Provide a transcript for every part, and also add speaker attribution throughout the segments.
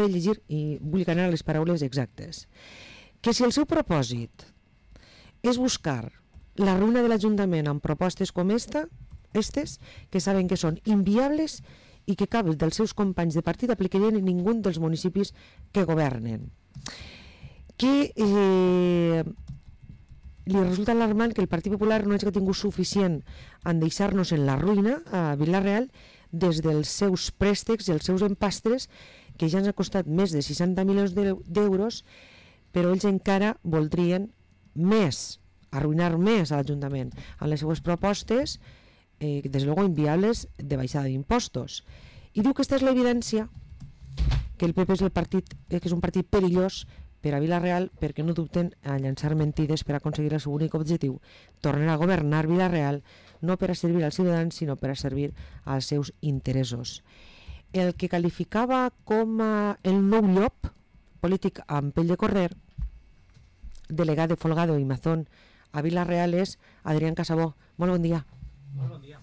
Speaker 1: de llegir i vull anar a les paraules exactes, que si el seu propòsit és buscar la ruïna de l'Ajuntament amb propostes com estes, que saben que són inviables i que cap dels seus companys de partit aplicarien en ningú dels municipis que governen. Que li resulta alarmant que el Partit Popular no hagi tingut suficient en deixar-nos en la ruïna a Vila-real des dels seus préstecs i els seus empastres, que ja ens ha costat més de 60 milions d'euros, però ells encara voldrien més, arruïnar més a l'Ajuntament amb les seues propostes, des de luego inviables, de baixada d'impostos. I diu que aquesta és l'evidència que el PP és un partit perillós per a Vila-real, perquè no dubten a llançar mentides per aconseguir el seu únic objectiu, tornar a governar Vila-real, no per a servir als ciutadans, sinó per a servir als seus interessos. El que qualificava com el nou llop, polític amb pell de corder, delegat de Folgado i Mazón a Vila-real, és Adrián Casabó. Molt bon dia.
Speaker 2: Molt bon dia.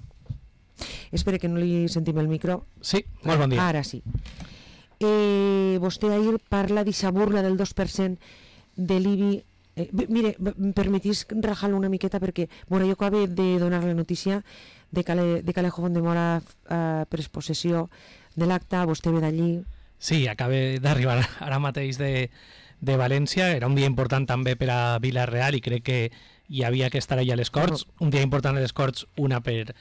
Speaker 1: Espera que no li sentim el micro.
Speaker 2: Sí, molt bon dia.
Speaker 1: Ara sí. Vostè ahir parla d'aquesta burla del 2% de l'IBI. Mire, em permetís rajar-lo una miqueta perquè jo acabo de donar la notícia de que Alejo Fondemora pres possessió de l'acte, vostè ve d'allí.
Speaker 2: Sí, acaba d'arribar ara mateix de València. Era un dia important també per a Vila-real i crec que hi havia que estar allà a les Corts. Un dia important a les Corts, una per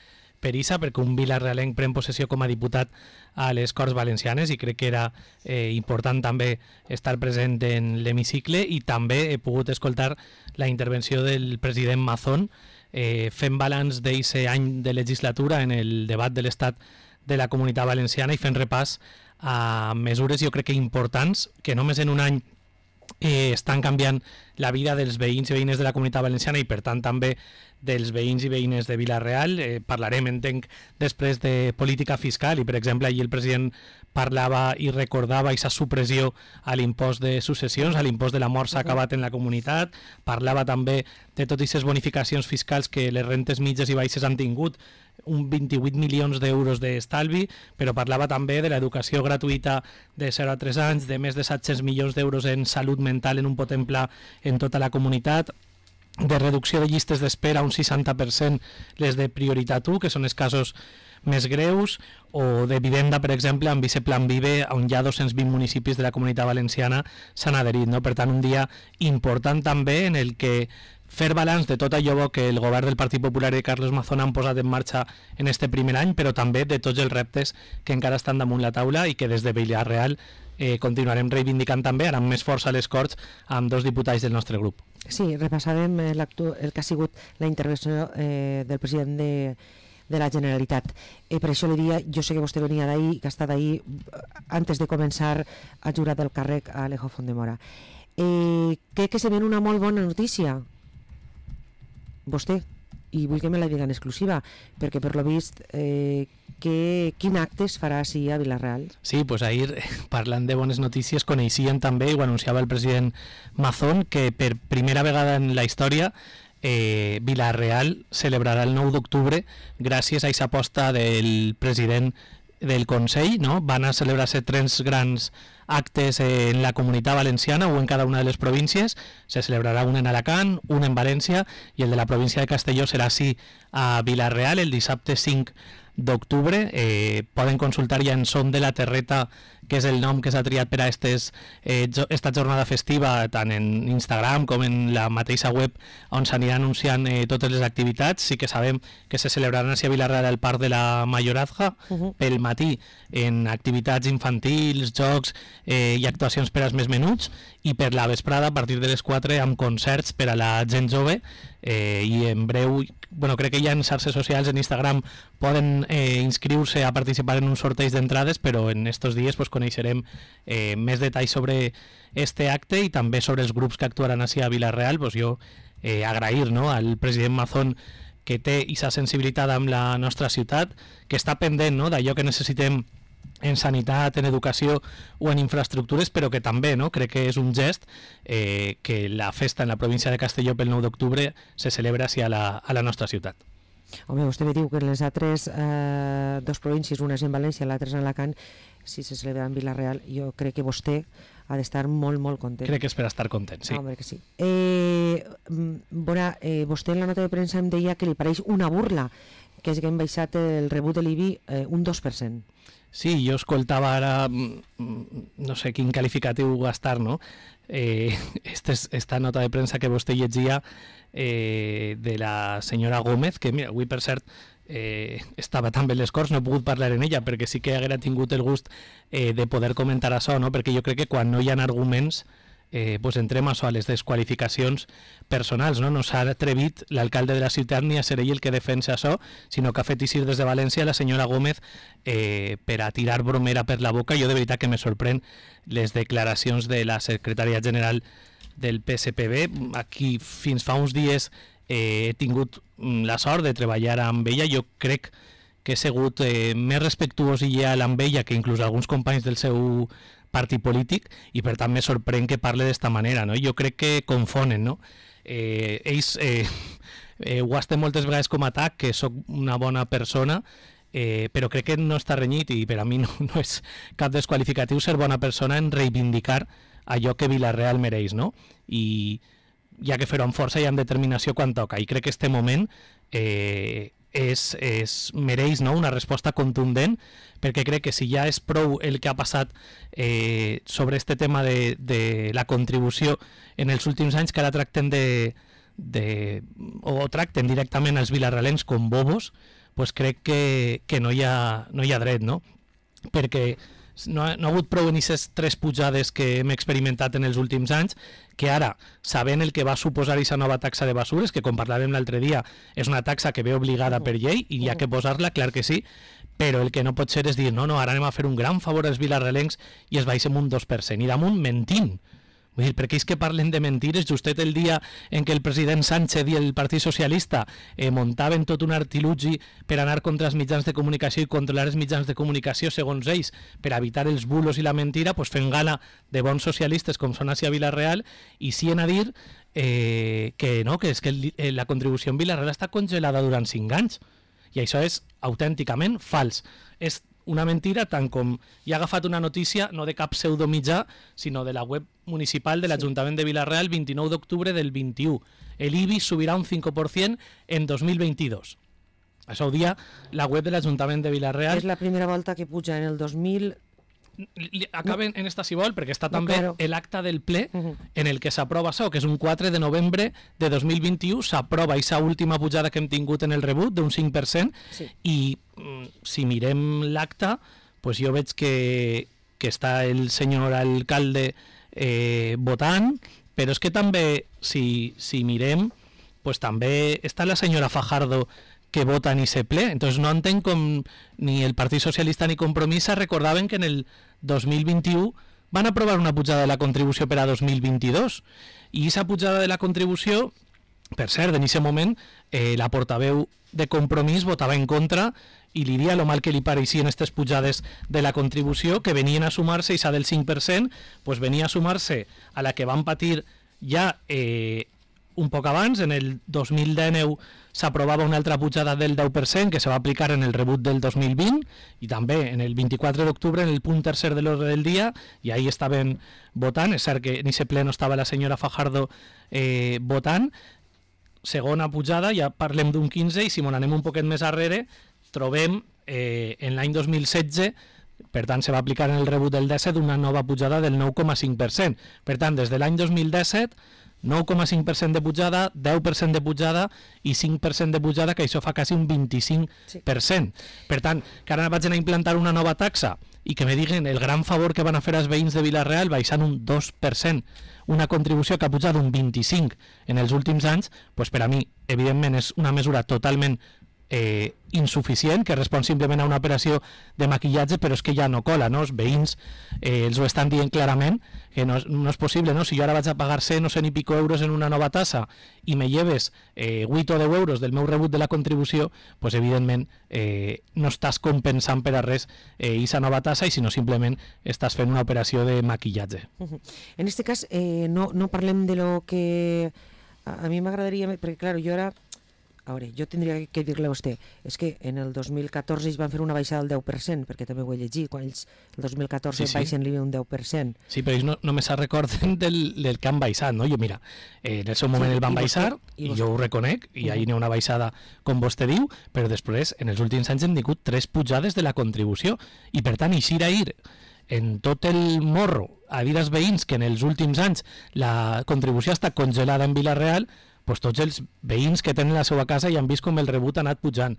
Speaker 2: Issa, perquè un vila-realenc pren possessió com a diputat a les Corts Valencianes i crec que era important també estar present en l'hemicicle, i també he pogut escoltar la intervenció del president Mazón fent balanç d'aquest any de legislatura en el debat de l'estat de la Comunitat Valenciana i fent repàs a mesures, jo crec que importants, que només en un any estan canviant la vida dels veïns i veïnes de la Comunitat Valenciana i per tant també dels veïns i veïnes de Vila-real. Parlarem, entenc, després de política fiscal i, per exemple, ahir el president parlava i recordava aquesta supressió a l'impost de successions, a l'impost de la mort s'ha acabat en la comunitat. Parlava també de totes aquestes bonificacions fiscals que les rentes mitges i baixes han tingut, un 28 milions d'euros d'estalvi, però parlava també de l'educació gratuïta de 0 a 3 anys, de més de 700 milions d'euros en salut mental en un potent pla en tota la comunitat, de reducció de llistes d'espera un 60%, les de prioritat 1, que són els casos més greus, o de vivenda, per exemple, amb Viceplan Vive, on hi ha 220 municipis de la Comunitat Valenciana s'han adherit, no? Per tant, un dia important també en el que fer balanç de tot allò que el govern del Partit Popular i Carlos Mazón han posat en marxa en este primer any, però també de tots els reptes que encara estan damunt la taula i que des de Vila-real continuarem reivindicant també, ara amb més força a les Corts, amb 2 diputats del nostre grup.
Speaker 1: Sí, repassàvem el que ha sigut la intervenció del president de la Generalitat. Per això li dia, jo sé que vostè venia d'ahir, que ha estat ahir antes de començar a jurar del càrrec a Alejo Fondemora. Crec que se ven una molt bona notícia, vostè, i vull que me la diga en exclusiva, perquè per lo vist quin acte es farà així a Vila-real?
Speaker 2: Sí, pues ahir, parlant de bones notícies, coneixien també, i ho anunciava el president Mazón, que per primera vegada en la història Vila-real celebrarà el 9 d'octubre gràcies a aquesta aposta del president del Consell, no? Van a celebrar-se 3 grans actes en la Comunitat Valenciana o en cada una de les províncies. Se celebrarà un en Alacant, un en València i el de la província de Castelló serà així a Vila-real el dissabte 5 d'octubre. Poden consultar ja en Som de la Terreta, que és el nom que s'ha triat per a esta jornada festiva, tant en Instagram com en la mateixa web on s'anirà anunciant totes les activitats. Sí que sabem que se celebraran a Vila-real al Parc de la Mayorazga pel matí en activitats infantils, jocs i actuacions per als més menuts, i per la vesprada a partir de les 4 amb concerts per a la gent jove, i en breu, crec que ja en xarxes socials, en Instagram, poden inscriure-se a participar en un sorteig d'entrades, però en estos dies coneixerem més detalls sobre este acte i també sobre els grups que actuaran així a Vila-real. Jo agrair al president Mazón que té aquesta sensibilitat amb la nostra ciutat, que està pendent d'allò que necessitem en sanitat, en educació o en infraestructures, però que també crec que és un gest que la festa en la província de Castelló pel 9 d'octubre se celebra així a la nostra ciutat.
Speaker 1: Home, vostè me diu que en les altres dues províncies, una és en València, l'altra és en Alacant, si se celebra en Vila-real, jo crec que vostè ha d'estar molt, molt content.
Speaker 2: Crec que és per estar content, sí.
Speaker 1: Home, que sí. Vostè en la nota de premsa em deia que li pareix una burla que és que hem baixat el rebut de l'IBI un 2%.
Speaker 2: Sí, jo escoltava ara, no sé quin qualificatiu gastar, no? Esta nota de premsa que vostè llegia de la senyora Gómez, que mira, avui per cert estava també a les Corts, no he pogut parlar en ella perquè sí que haguera tingut el gust de poder comentar això, no? Perquè jo crec que quan no hi ha arguments pues entrem a les desqualificacions personals, no? No s'ha atrevit l'alcalde de la ciutat ni a ser ell el que defensa això, sinó que ha fet eixir des de València la senyora Gómez per a tirar bromera per la boca. Jo de veritat que me sorprèn les declaracions de la secretària general del PSPB. Aquí fins fa uns dies he tingut la sort de treballar amb ella. Jo crec que he sigut més respectuós i lleal amb ella que inclús alguns companys del seu partit polític, i per tant me sorprèn que parle d'esta manera, no? Jo crec que confonen, no? Ells ho estem moltes vegades com a atac, que sóc una bona persona, però crec que no està renyit, i per a mi no és cap desqualificatiu ser bona persona en reivindicar allò que Vila-real mereix, no? I hi ha que fer-ho amb força i amb determinació quan toca, i crec que este moment mereix, no? Una resposta contundent, perquè crec que si ja és prou el que ha passat sobre este tema de la contribució en els últims anys, que ara tracten o tracten directament els vilarrealens com bobos, pues crec que no hi ha dret, no? Perquè no ha hagut prou en aquestes 3 pujades que hem experimentat en els últims anys, que ara, sabent el que va suposar aquesta nova taxa de basures, que com parlàvem l'altre dia, és una taxa que ve obligada per llei i hi ha que posar-la, clar que sí, però el que no pot ser és dir, no, ara anem a fer un gran favor als vilarrealencs i es baixem un 2%, i damunt mentint. Vull dir, perquè és que parlen de mentires justet el dia en què el president Sánchez i el Partit Socialista muntaven tot un artilugi per anar contra els mitjans de comunicació i controlar els mitjans de comunicació, segons ells, per evitar els bulos i la mentira, pues fent gala de bons socialistes com són a Vila-real, i sí en a dir que no, que és que la contribució en Vila-real està congelada durant 5 anys, i això és autènticament fals. És una mentira, tant com hi ha agafat una notícia no de cap pseudomitjà, sinó de la web municipal de l'Ajuntament de Vila-real, 29 d'octubre del 21. El IBI subirà un 5% en 2022. Això ho dia la web de l'Ajuntament de Vila-real.
Speaker 1: És la primera volta que puja en el 2000...
Speaker 2: Acaben en esta si vol, perquè està també l'acte del ple en el que s'aprova això, que és un 4 de novembre de 2021, s'aprova aquesta última pujada que hem tingut en el rebut d'un 5%, sí. I si mirem l'acte, pues jo veig que està el senyor alcalde votant, però és que també, si mirem, pues també està la senyora Fajardo que vota ni se ple. Entonces no entenc com ni el Partit Socialista ni Compromís recordaven que en el 2021 van aprovar una pujada de la contribució per a 2022. I aquesta pujada de la contribució, per cert, en aquest moment la portaveu de Compromís votava en contra i li dia lo mal que li pareixien aquestes pujades de la contribució, que venien a sumar-se, i s'ha del 5%, pues venia a sumar-se a la que van patir ja un poc abans. En el 2019 s'aprovava una altra pujada del 10% que se va aplicar en el rebut del 2020, i també en el 24 d'octubre en el punt tercer de l'ordre del dia, i ahí estaven votant. És cert que en aquest ple no estava la senyora Fajardo votant. Segona pujada, ja parlem d'un 15, i si m'on anem un poquet més arrere trobem en l'any 2016, per tant se va aplicar en el rebut del 17 una nova pujada del 9,5%. Per tant, des de l'any 2017 9,5% de pujada, 10% de pujada i 5% de pujada, que això fa quasi un 25%. Sí. Per tant, que ara vaig a implantar una nova taxa i que me diguen el gran favor que van a fer als veïns de Vila-real baixant un 2%, una contribució que ha pujat un 25% en els últims anys, pues per a mi, evidentment, és una mesura totalment insuficient, que respon simplement a una operació de maquillatge, però és que ja no cola, no? Els veïns els ho estan dient clarament, que no és possible, no? Si jo ara vaig a pagar 100 o 100 i pico euros en una nova tassa i me lleves 8 o 10 euros del meu rebut de la contribució, pues evidentment no estàs compensant per a res aquesta nova tassa, i sinó simplement estàs fent una operació de maquillatge.
Speaker 1: En este cas no parlem de lo que a mi m'agradaria, perquè clar, jo ara a veure, jo tindria que dir-li a vostè, és que en el 2014 ells van fer una baixada del 10%, perquè també ho he llegit, quan ells el 2014 baixen l'IBI un 10%.
Speaker 2: Sí, però ells només es recorden del que han baixat, no? Jo, mira, en el seu moment el van baixar, i jo ho reconec, i ahir n'hi ha una baixada, com vostè diu, però després, en els últims anys hem tingut 3 pujades de la contribució, i per tant, eixir ahir en tot el morro a dir als veïns que en els últims anys la contribució està congelada en Vila-real, pues tots els veïns que tenen la seva casa i han vist com el rebut ha anat pujant.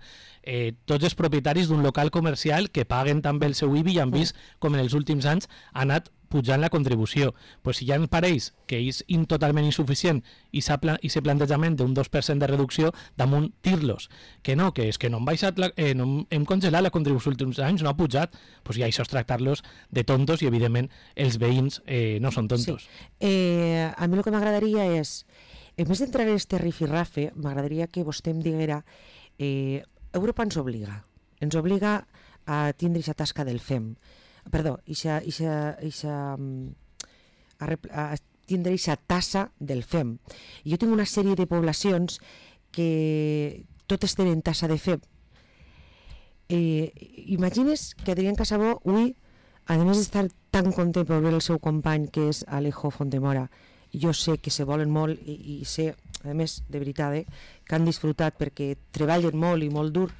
Speaker 2: Tots els propietaris d'un local comercial que paguen també el seu IBI i han vist com en els últims anys ha anat pujant la contribució. Pues si ja em pareix que és totalment insuficient i ese plantejament d'un 2% de reducció, damunt dir-los que no, que és que no hem baixat no hem congelat la contribució els últims anys, no ha pujat, pues ja això és tractar-los de tontos i evidentment els veïns no són tontos.
Speaker 1: Sí. A mi el que m'agradaria és, en més d'entrar en este rifirrafe, m'agradaria que vostè em diguera, Europa ens obliga a tindre aquesta tasca del FEM, perdó, a tindre aquesta tassa del FEM. I jo tinc una sèrie de poblacions que totes tenen tassa de FEM. Imagines que Adrián Casabó, avui, a més d'estar tan content per veure el seu company, que és Alejo Fontemora, jo sé que se volen molt i sé, a més, de veritat, que han disfrutat perquè treballen molt i molt dur.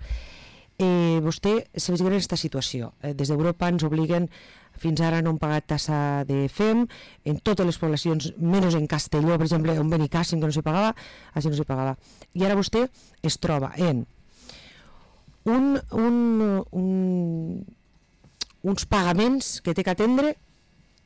Speaker 1: Vostè se vegi en aquesta situació. Des d'Europa ens obliguen, fins ara no han pagat tassa de FEM, en totes les poblacions, menys en Castelló, per exemple, on Benicàssim, que no se pagava, així no se pagava. I ara vostè es troba en uns pagaments que té que atendre,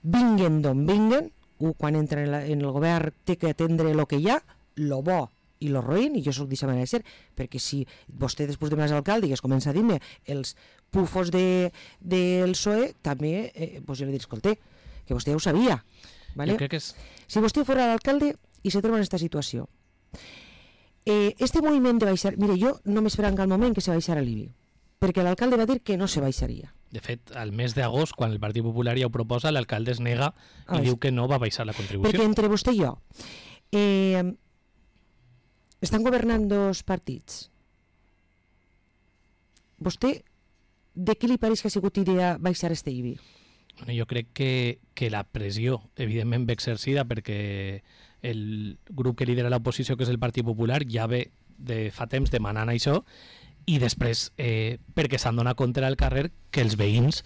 Speaker 1: vinguen d'on vinguen, quan entra en el govern té que atendre el que hi ha, lo bo i lo roïn, i jo soc d'aquesta manera de ser, perquè si vostè després de més alcalde i es comença a dir-me els pufos del PSOE, també jo li diré, escolta, que vostè ja ho sabia. ¿vale?
Speaker 2: Jo crec que és...
Speaker 1: Si vostè fos l'alcalde i se troba en aquesta situació, este moviment de baixar... Mire, jo no m'esperava en cap moment que se baixara l'IBI, perquè l'alcalde va dir que no se baixaria.
Speaker 2: De fet, al mes d'agost, quan el Partit Popular ja ho proposa, l'alcalde es nega i diu que no va baixar la contribució.
Speaker 1: Perquè entre vostè i jo estan governant dos partits. Vostè, de què li pareix que ha sigut idea baixar este IBI?
Speaker 2: Bueno, jo crec que la pressió, evidentment, ve exercida perquè el grup que lidera l'oposició, que és el Partit Popular, ja ve de fa temps demanant això, i després perquè s'han donat compte al carrer que els veïns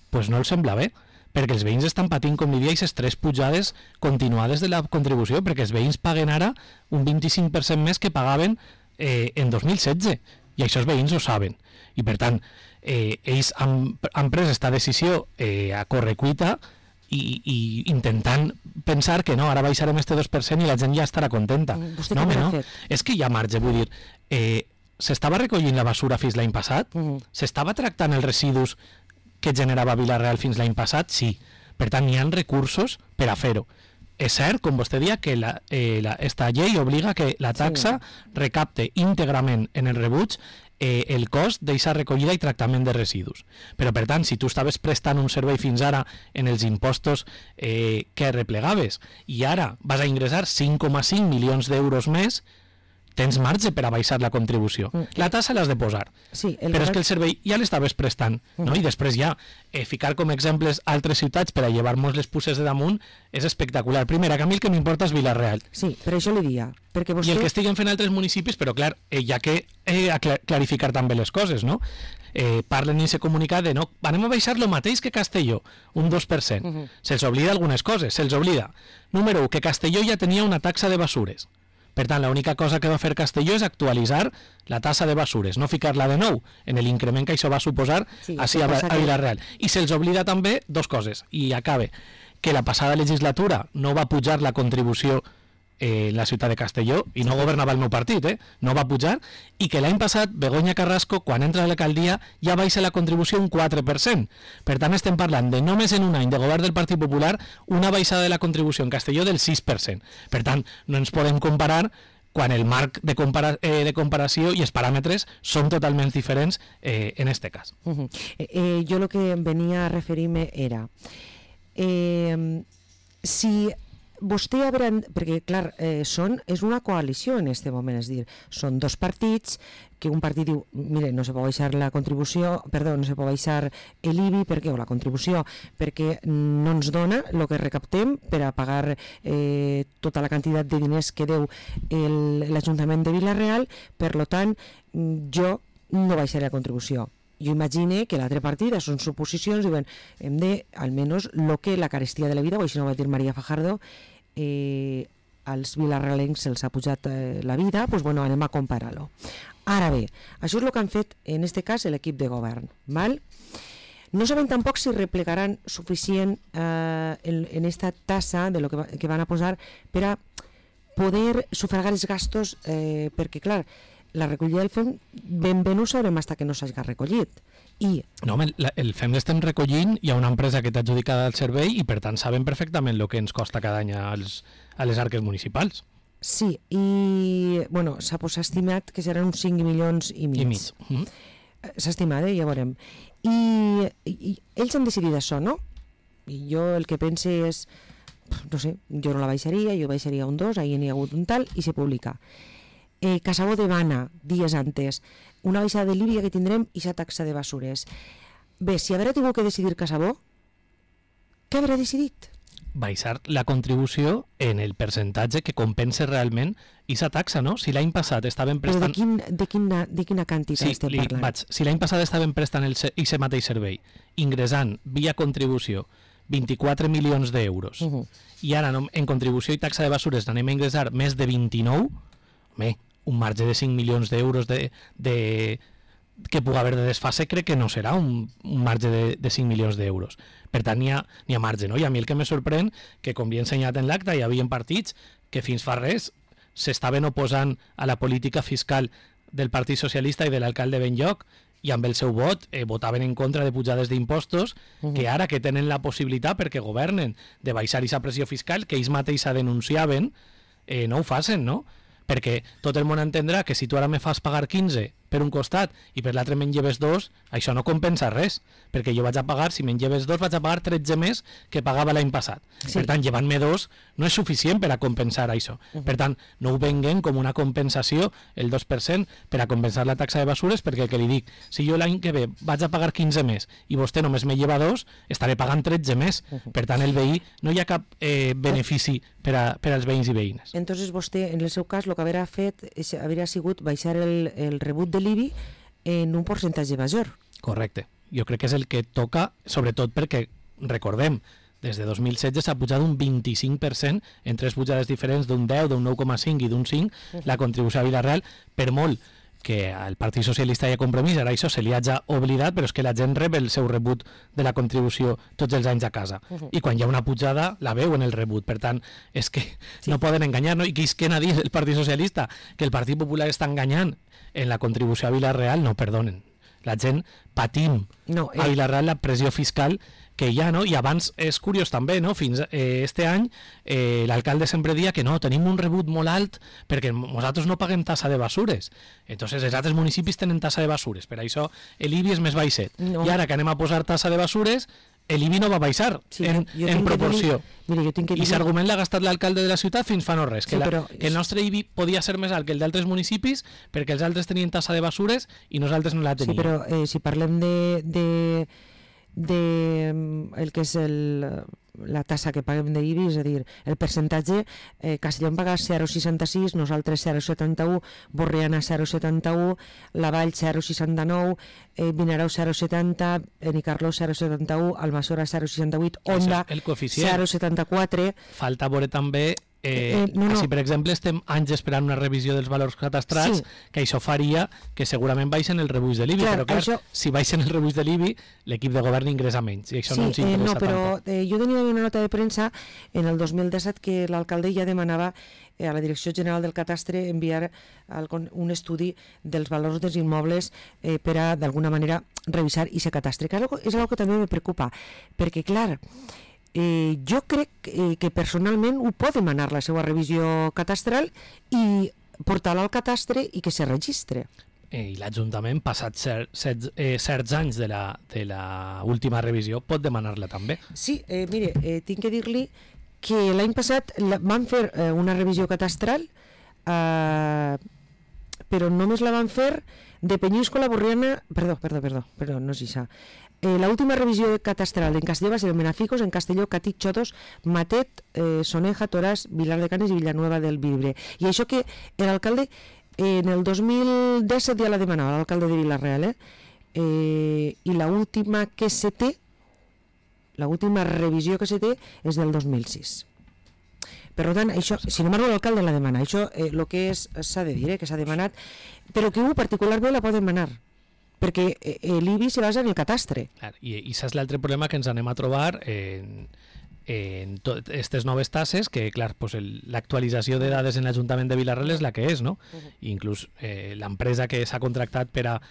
Speaker 2: pues no els sembla bé, perquè els veïns estan patint, com diria, aquestes 3 pujades continuades de la contribució, perquè els veïns paguen ara un 25% més que pagaven en 2016, i això els veïns ho saben. I per tant, ells han pres aquesta decisió a correcuita i intentant pensar que no, ara baixarem este 2% i la gent ja estarà contenta. No, home, no. És que hi ha marge, vull dir... S'estava recollint la basura fins l'any passat? S'estava tractant els residus que generava Vila-real fins l'any passat? Sí. Per tant, hi ha recursos per a fer-ho. És cert, com vostè dia, que esta llei obliga que la taxa recapte íntegrament en el rebuig el cost d'aquesta recollida i tractament de residus. Però, per tant, si tu estaves prestant un servei fins ara en els impostos que replegaves i ara vas a ingressar 5,5 milions d'euros més, tens marge per a baixar la contribució. La tassa l'has de posar, però és que el servei ja l'estaves prestant, no? I després ja ficar com exemples altres ciutats per a llevar-nos les puces de damunt és espectacular. Primera, que a mi el que m'importa és Vila-real.
Speaker 1: Sí, per això li dia. Perquè vostè...
Speaker 2: I el que estiguen fent altres municipis, però clar, ja que clarificar també les coses, no? Parlen i se comunicat de no, anem a baixar el mateix que Castelló, un 2%. Se'ls oblida algunes coses, se'ls oblida. Número 1, que Castelló ja tenia una taxa de basures. Per tant, l'única cosa que va fer Castelló és actualitzar la tassa de basures, no ficar-la de nou en l'increment que això va suposar a Vila-real. I se'ls oblida també 2 coses, i acabe, que la passada legislatura no va pujar la contribució en la ciutat de Castelló, i no governava el meu partit, no va pujar, i que l'any passat Begoña Carrasco, quan entra a l'alcaldia, ja baixa la contribució un 4%. Per tant, estem parlant de només en un any de govern del Partit Popular una baixada de la contribució en Castelló del 6%. Per tant, no ens podem comparar quan el marc de comparació i els paràmetres són totalment diferents en este cas.
Speaker 1: Jo el que venia a referir-me era si vostè haurà... Perquè, clar, és una coalició en aquest moment, és dir, són dos partits, que un partit diu, mire, no se pot baixar la contribució, perdó, no se pot baixar l'IBI, perquè, o la contribució, perquè no ens dona el que recaptem per a pagar tota la quantitat de diners que deu l'Ajuntament de Vila-real, per tant, jo no baixaré la contribució. Jo imagine que l'altre partit, són suposicions, diuen, hem de, almenys, lo que la carestia de la vida, o així no va dir María Fajardo, als vilarrealencs se'ls ha pujat la vida, doncs bueno, anem a comparar-lo. Ara bé, això és el que han fet, en aquest cas, l'equip de govern. Val? No sabem tampoc si replegaran suficient en aquesta tassa de lo que van a posar per a poder sufragar els gastos, perquè, clar, la recollida del FEM ben bé no ho sabrem fins que no s'hagi recollit.
Speaker 2: No, home, el FEM l'estem recollint, hi ha una empresa que t'ha adjudicada el servei i per tant sabem perfectament el que ens costa cada any a les arques municipals.
Speaker 1: Sí, i bueno, s'ha estimat que seran uns 5 milions i mig. S'ha estimat, ja veurem. I ells han decidit això, no? I jo el que pense és, no sé, jo no la baixaria, jo baixaria un 2, ahir n'hi ha hagut un tal, i se publica. Casabó demana, dies antes, una baixada de l'IBI que tindrem i la taxa de basures. Bé, si haurà tingut que decidir Casabó, què haurà decidit?
Speaker 2: Baixar la contribució en el percentatge que compensa realment aquesta taxa, no? Si l'any passat estaven prestant...
Speaker 1: Però de quina quantitat estem parlant?
Speaker 2: Si l'any passat estaven prestant aquest mateix servei, ingressant via contribució 24 milions d'euros, i ara en contribució i taxa de basures n'anem a ingressar més de 29, home, un marge de 5 milions d'euros que pugui haver de desfase crec que no serà un marge de 5 milions d'euros. Per tant, n'hi ha marge, no? I a mi el que me sorprèn que, com havia ensenyat en l'acte, hi havia partits que fins fa res s'estaven oposant a la política fiscal del Partit Socialista i de l'alcalde Benlloc i amb el seu vot votaven en contra de pujades d'impostos, que ara que tenen la possibilitat, perquè governen, de baixar aquesta pressió fiscal que ells mateixos denunciaven, no ho facin, no? Perquè tot el món entendrà que si tu ara me fas pagar 15 per un costat i per l'altre me'n lleves 2, això no compensa res, perquè jo vaig a pagar, si me'n lleves 2, vaig a pagar 13 més que pagava l'any passat. Sí. Per tant, llevant-me 2 no és suficient per a compensar això. Per tant, no ho venguen com una compensació, el 2%, per a compensar la taxa de basures, perquè el que li dic, si jo l'any que ve vaig a pagar 15 més i vostè només me lleva 2, estaré pagant 13 més. Per tant, el veí no hi ha cap benefici per als veïns i veïnes.
Speaker 1: Entonces vostè, en el seu cas, el que hauria fet hauria sigut baixar el rebut de l'IBI en un percentatge major.
Speaker 2: Correcte. Jo crec que és el que toca, sobretot perquè, recordem, des de 2016 s'ha pujat un 25% en 3 pujades diferents, d'un 10, d'un 9,5 i d'un 5, la contribució a Vila-real, per molt que al Partit Socialista hi ha Compromís, ara això se li hagi oblidat, però és que la gent rep el seu rebut de la contribució tots els anys a casa. I quan hi ha una pujada, la veu en el rebut. Per tant, és que no poden enganyar, no? I qui es quena a dir el Partit Socialista que el Partit Popular està enganyant en la contribució a Vila-real, no, perdonen. La gent patim a Vila-real la pressió fiscal que hi ha, no? I abans és curiós també, no? Fins este any l'alcalde sempre dia que no, tenim un rebut molt alt perquè nosaltres no paguem tassa de basures. Entonces els altres municipis tenen tassa de basures, per això l'IBI és més baixet. I ara que anem a posar tassa de basures, l'IBI no va baixar en proporció. I s'argument l'ha gastat l'alcalde de la ciutat fins fa no res, que el nostre IBI podia ser més alt que el d'altres municipis perquè els altres tenien tassa de basures i nosaltres no la teníem.
Speaker 1: Sí, però si parlem de el que és la tassa que paguem d'IBI, és a dir, el percentatge, Castellón paga 0,66, nosaltres 0,71, Borriana 0,71, La Vall 0,69, Vinaròs 0,70, Benicarló 0,71, Almassora 0,68, Onda 0,74.
Speaker 2: Falta veure també si per exemple estem anys esperant una revisió dels valors catastrals, que això faria que segurament baixen el rebuig de l'IBI, però clar, si baixen el rebuig de l'IBI l'equip de govern ingressa menys i això no ens interessa tampoc.
Speaker 1: Jo tenia una nota de premsa en el 2017 que l'alcalde ja demanava a la Direcció General del Catastre enviar un estudi dels valors dels immobles per a d'alguna manera revisar aquest catastre, que és una que també me preocupa, perquè clar, jo crec que personalment ho pot demanar la seva revisió catastral i portar-la al catastre i que se registre.
Speaker 2: I l'Ajuntament, passats certs anys de la última revisió, pot demanar-la també.
Speaker 1: Sí, mire, tinc que dir-li que l'any passat van fer una revisió catastral, però només la van fer de Peñíscola, Borriana... Perdó, no és això. L'última revisió catastral en Castelló va ser en Benaficos, en Castelló, Catí, Xotos, Matet, Soneja, Toràs, Vilar de Canes i Villanueva del Vibre. I això que l'alcalde en el 2017 ja la demanava, l'alcalde de Vila-real, i l'última que se té, l'última revisió que se té és del 2006. Per tant, això, si no m'arriba l'alcalde la demana, això el que s'ha de dir, que s'ha demanat, però que particularment la pot demanar, perquè l'IBI se basa en el catastre.
Speaker 2: I saps l'altre problema que ens anem a trobar en aquestes noves tasses, que clar, pues l'actualització de dades en l'Ajuntament de Vila-real és la que és, no? Inclús l'empresa que s'ha contractat per a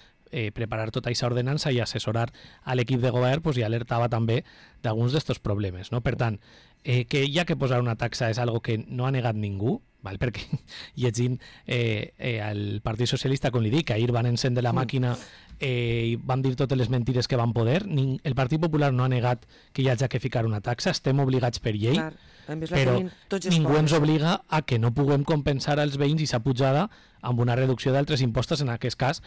Speaker 2: preparar tota aquesta ordenança i assessorar a l'equip de govern pues, ja alertava també d'alguns d'aquests problemes. No? Per tant, que hi ha que posar una taxa és algo que no ha negat ningú, val? Perquè llegint al Partit Socialista, com li dic, ahir van encendre la màquina i van dir totes les mentides que van poder. El Partit Popular no ha negat que hi hagi que ficar una taxa, estem obligats per llei, però ningú ens obliga a que no puguem compensar als veïns i s'ha pujada amb una reducció d'altres impostos, en aquest cas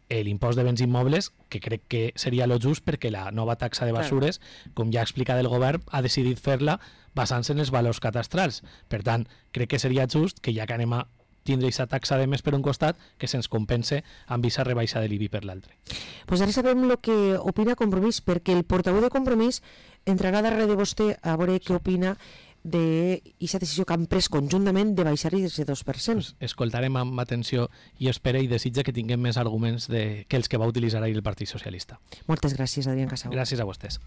Speaker 2: l'impost de béns immobles, que crec que seria lo just perquè la nova taxa de basures, com ja ha explicat el govern, ha decidit fer-la basant-se en els valors catastrals. Per tant, crec que seria just que ja que anem a tindre aquesta taxa de més per un costat, que se'ns compense amb aquesta rebaixa de l'IBI per l'altre.
Speaker 1: Pues ara sabem el que opina Compromís, perquè el portaveu de Compromís entrarà darrere de vostè a veure què opina d'aquesta decisió que han pres conjuntament de baixar-hi del 2%.
Speaker 2: Pues escoltarem amb atenció i espera i desitja que tinguem més arguments que els que va utilitzar ahir el Partit Socialista.
Speaker 1: Moltes gràcies, Adrián Casau.
Speaker 2: Gràcies a vostès.